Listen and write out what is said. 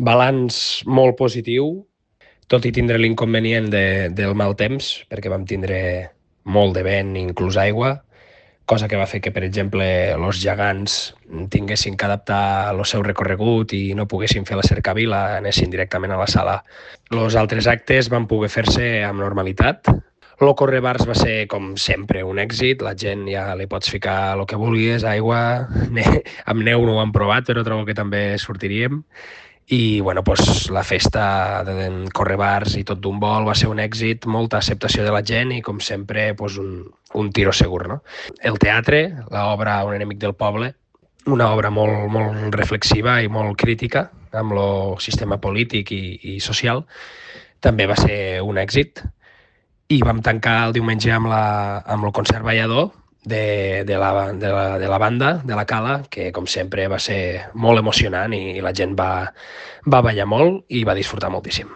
Balanç molt positiu, tot i tindre l'inconvenient del mal temps, perquè vam tindre molt de vent, inclús aigua, cosa que va fer que, per exemple, els gegants tinguessin que adaptar el seu recorregut i no poguessin fer la cercavila, anessin directament a la sala. Els altres actes van poder fer-se amb normalitat. El Correbars va ser, com sempre, un èxit. La gent ja li pots ficar el que vulguis, aigua, amb neu no ho hem provat, però trobo que també sortiríem. I bueno, doncs, la festa de Correbars i tot d'un vol va ser un èxit, molta acceptació de la gent i, com sempre, doncs, un tiro segur. No? El teatre, l'obra Un enemic del poble, una obra molt reflexiva i molt crítica amb el sistema polític i social, també va ser un èxit. I vam tancar el diumenge amb el concert ballador de la banda, de la Cala, que com sempre va ser molt emocionant i la gent va ballar molt i va disfrutar moltíssim.